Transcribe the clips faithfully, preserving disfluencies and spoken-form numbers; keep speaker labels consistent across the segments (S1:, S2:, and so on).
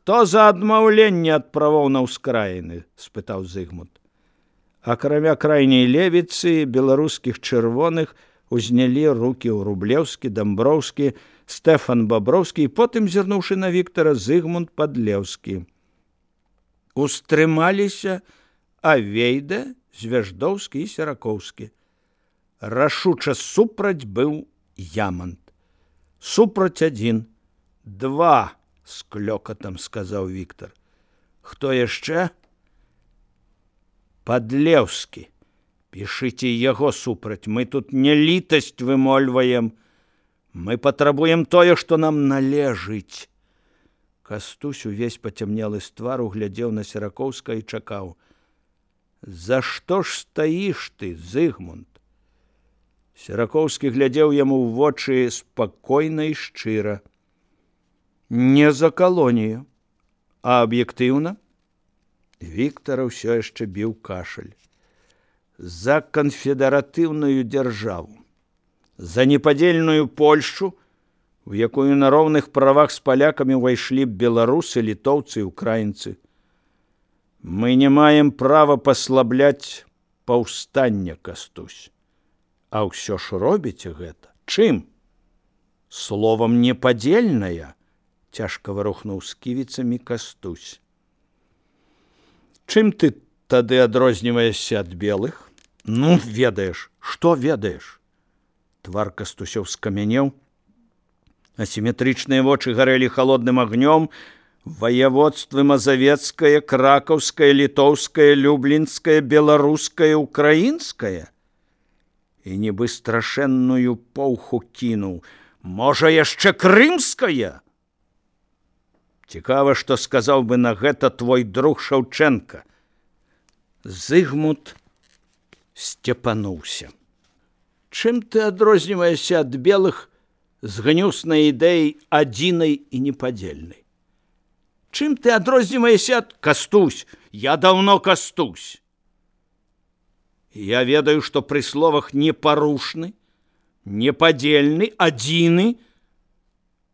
S1: Хто за адмаўленне ад правоў на ўскраіны? — спытаў Зыгмунд. Акрамя крайняй левіцы, беларускіх чырвоных узнялі рукі ў Рублеўскі, Дамброўскі, Стэфан Баброўскі і потым, зірнуўшы на Віктара, Зыгмунд Падлеўскі. Устрымаліся Авейда, Звяждоўскі і Серакоўскі. Рашуча супраць быў Ямант. Супраць адзін. Два, з клёкатам сказаў Віктар. Хто яшчэ? Падлеўскі. Пішыце яго супраць. Мы тут не літасць вымольваем. Мы патрабуем тое, што нам належыць. Кастусь увесь пацямнелы з твару глядзеў на Серакоўска і чакаў. За што ж стаіш ты, Зыгмунд? Серакоўскі глядзеў яму ў вочы спакойна і шчыра. Не за калонію, а аб'ектыўна? Віктара ўсё яшчэ біў кашаль. За канфедэратыўную дзяржаву, за непадзельную Польшчу, у якую на роўных правах з палякамі ўвайшлі б беларусы, літоўцы і украінцы. Мы не маем права паслабляць паўстання, Кастусь. А ўсё ж робіце гэта. Чым? Словам непадзельная, цяжка варухнуў сківіцамі Кастусь. Чым ты тады адрозніваешся ад белых? Ну, ведаеш, што ведаеш? Твар Кастусёў скамянеў, асіметрычныя вочы гарэлі халодным агнём. Ваяводствы мазавецкае, кракаўскае, літоўскае, люблінскае, беларускае, украінскае? І нібы страшэнную поўху кінуў. Можа, яшчэ крымская? Цікава, што сказаў бы на гэта твой друг Шаўчэнка. Зыгмунд сцепануўся. Чым ты адрозніваешся ад белых з гнюснай ідэяй адзінай і непадзельнай? Чым ты адрозніваешся ад... Кастусь, я даўно Кастусь. Я ведаю, што пры словах непарушны, непадзельны, адзіны,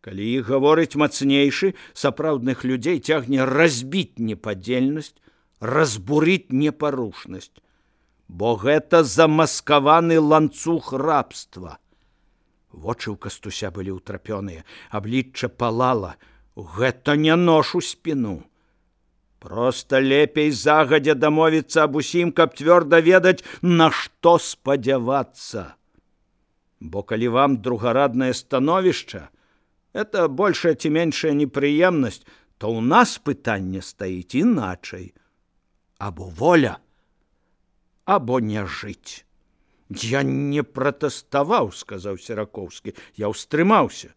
S1: калі іх гаворыць мацнейшы, сапраўдных людзей цягне разбіць непадзельнасць, разбурыць непарушнасць, бо гэта замаскаваны ланцуг рабства. Вочы ў Кастуся былі ўтрапёныя, аблічча палала. Гэта не нож у спіну. Проста лепей загадзя дамовіцца аб усім, каб цвёрда ведаць, на што спадзявацца. Бо калі вам другараднае становішча, это большая ці меншая непрыемнасць, то ў нас пытанне стаіць іначай. Або воля, або не жыць. Я не пратэставаў, сказаў Серакоўскі, я ўстрымаўся.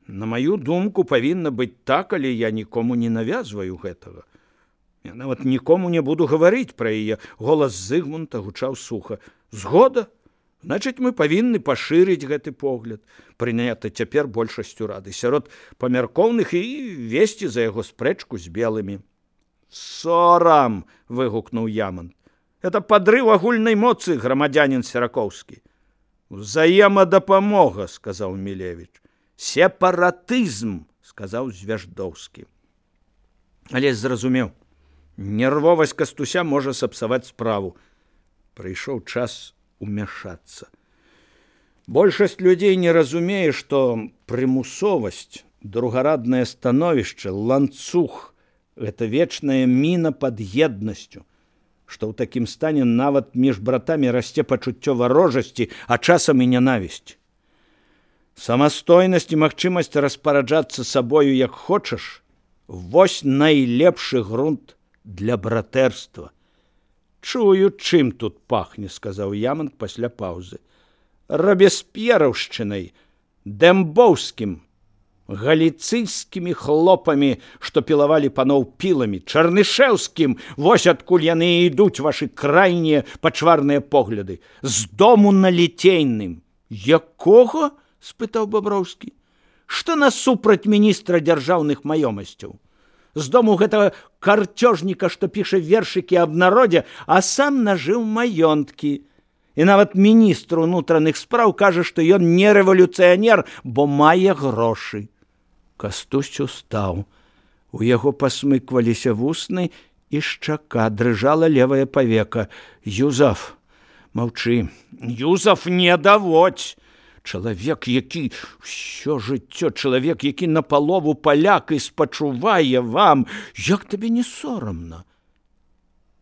S1: На маю думку, павінна быць так, але я нікому не навязваю гэтага. Я нават нікому не буду гаварыць пра яе. Голас Зыгмунда гучаў суха. Згода? Значыць, мы павінны пашырыць гэты погляд, прыняты цяпер большасцю рады, сярод памяркоўных і весці за яго спрэчку з белымі. Сорам! — выгукнуў Ямант. Это падрыў агульнай моцы, грамадзянін Серакоўскі. Взаемадапамога, — сказаў Мілевіч. Сепаратызм, сказаў Звяждоўскі. Але зразумеў, нервовасць Кастуся можа сапсаваць справу. Прыйшоў час умяшацца. Большасць людзей не разумее, што прымусовасць, другараднае становішча, ланцуг — гэта вечная міна пад еднасцю, што ў такім стане нават між братамі расце пачуццё варожасці, а часам і нянавісць. Самастойнасць і магчымасць распараджацца сабою як хочаш — вось найлепшы грунт для братэрства. Чую, чым тут пахне, сказаў Ямант пасля паўзы. Рабесп'ераўшчынай, дэмбоўскім, галіцыйскімі хлопамі, што пілавалі паноў піламі, чарнышэўскім, вось адкуль яны ідуць, вашы крайнія пачварныя погляды, з дому на Ліцейным. Якога? — спытаў Баброўскі. Што насупраць міністра дзяржаўных маёмасцяў? З дому гэтага карцёжніка, што піша вершыкі аб народзе, а сам нажыў маёнткі. І нават міністр унутраных спраў кажа, што ён не рэвалюцыянер, бо мае грошы. Кастусь устаў. У яго пасмыкваліся вусны, і шчака, дрыжала левая павека. Юзаф, маўчы, Юзаф, не даводь! Чалавек, які ўсё жыццё, чалавек, які напалову паляк і спачувае вам, як табе не сорамна?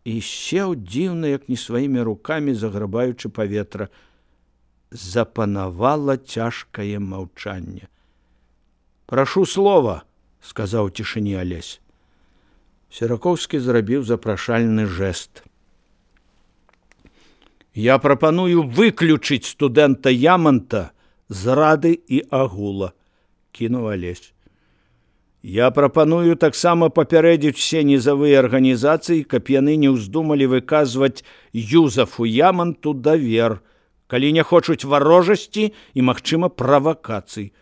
S1: І сеў дзіўна, як не сваімі рукамі, заграбаючы паветра. Запанавала цяжкае маўчанне. Прашу слова, сказаў у цішыні Алесь. Серакоўскі зрабіў запрашальны жэст. Я прапаную выключыць студэнта Ямонта з рады і агула, кінуў Алесь. Я прапаную таксама папярэдзіць усе нізавыя арганізацыі, каб яны не ўздумалі выказваць Юзафу Ямонту давер, калі не хочуць варожасці і, магчыма, правакацый.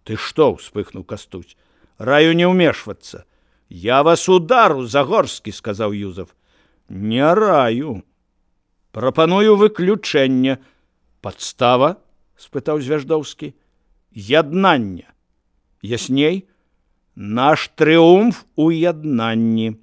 S1: Ты што? — успыхнуў Кастусь. Раю не ўмешвацца. Я вас удару, Загорскі, — сказаў Юзаф. Не раю. Прапаную выключэнне. Падстава? — спытаў Звяждоўскі. Яднанне. Ясней? Наш трыумф у яднанні.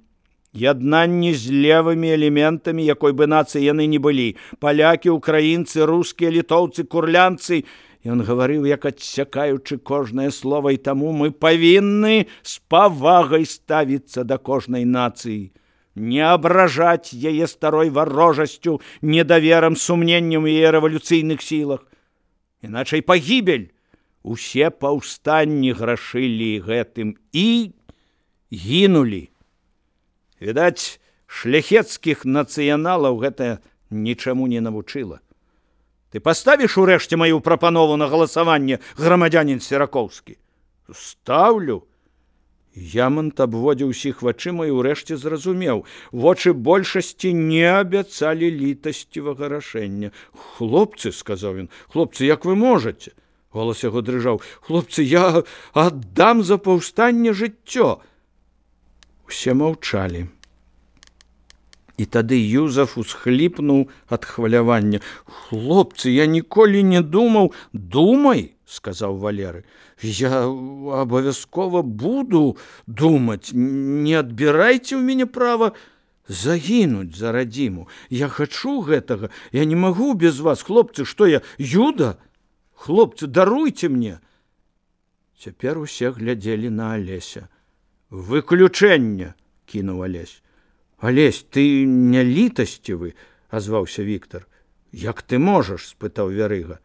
S1: Яднанні з левымі элементамі, якой бы нацыі яны не былі. Палякі, украінцы, рускія, літоўцы, курлянцы. Ён гаварыў, як адсякаючы кожнае слова, і таму мы павінны з павагай ставіцца да кожнай нацыі, не абражаць яе старой варожасцю, недаверам, сумненнем у яе рэвалюцыйных сілах. Іначай пагібель. Усе паўстанні грашылі гэтым і гінулі. Відаць, шляхецкіх нацыяналаў гэта нічаму не навучыла. Ты паставіш урэшце маю прапанову на галасаванне, грамадзянін Серакоўскі? Ставлю. Ямонт абводзіў усіх вачыма і ўрэшце зразумеў. Вочы большасці не абяцалі літасцівага рашэння. Хлопцы, — сказаў ён, — хлопцы, як вы можаце? Голас яго дрыжаў. Хлопцы, я аддам за паўстанне жыццё. Усе маўчалі. І тады Юзаф усхліпнуў ад хвалявання. Хлопцы, я ніколі не думаў. Думай, — сказаў Валеры. Я абавязкова буду думаць. Не адбірайце ў мяне права загінуць за радзіму. Я хачу гэтага. Я не магу без вас. Хлопцы, што я, Юда? Хлопцы, даруйце мне. Цяпер усе глядзелі на Алеся. Выключэнне, — кінуў Алесь. Алесь, ты не літасцівы, — азваўся Віктор. Як ты можаш? — спытаў Вярыга.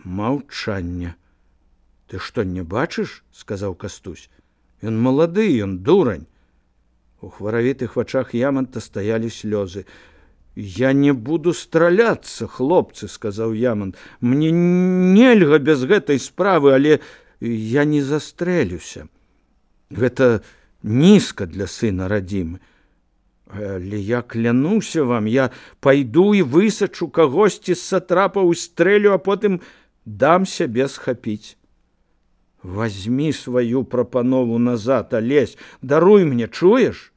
S1: Маўчанне. Ты што, не бачыш? — сказаў Кастусь. Ён малады, ён дурань. У хваравітых вачах Ямонта стаялі слёзы. Я не буду страляцца, хлопцы, — сказаў Ямонт. Мне нельга без гэтай справы, але я не застрэлюся. Гэта нізка для сына радзімы. Але я клянуся вам, я пайду і высачу кагосьці з сатрапаў і стрэлю, а потым дам сябе схапіць. Вазьмі сваю прапанову назад, Алесь, даруй мне, чуеш?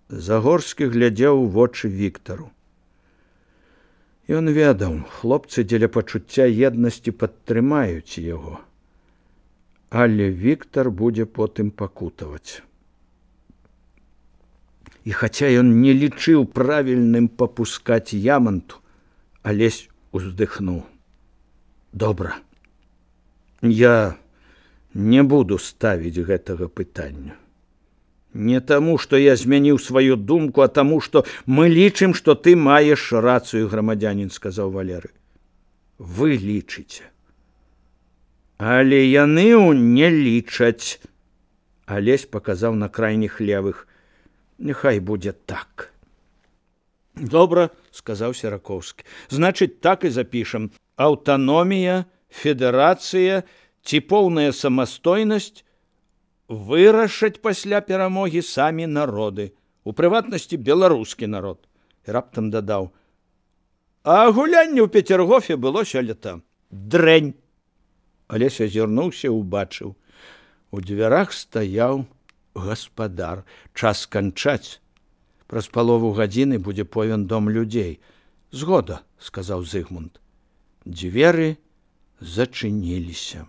S1: Загорскі глядзеў у вочы Віктару. Ён ведаў, хлопцы дзеля пачуцця еднасці падтрымаюць яго. Але Віктар будзе потым пакутаваць. І хаця ён не лічыў правільным папускаць Ямонту, Алесь уздыхнуў. Добра. Я не буду ставіць гэтага пытання. Не таму, што я змяніў сваю думку, а таму, што мы лічым, што ты маеш рацыю, грамадзянін, — сказаў Валеры. Вы лічыце. Але яны не лічаць. Алесь паказаў на крайніх левых. Няхай будзе так. Добра, — сказаў Серакоўскі. Значыць, так і запішам. Аўтаномія, федэрацыя ці поўная самастойнасць вырашаць пасля перамогі самі народы, у прыватнасці беларускі народ. І раптам дадаў. А гулянне ў Пецергофе было сёлета. Дрэнь. Алесь азірнуўся, убачыў. У дзвярах стаяў гаспадар. Час канчаць. Праз палову гадзіны будзе повен дом людзей. Згода, — сказаў Зыгмунд. Дзверы зачыніліся.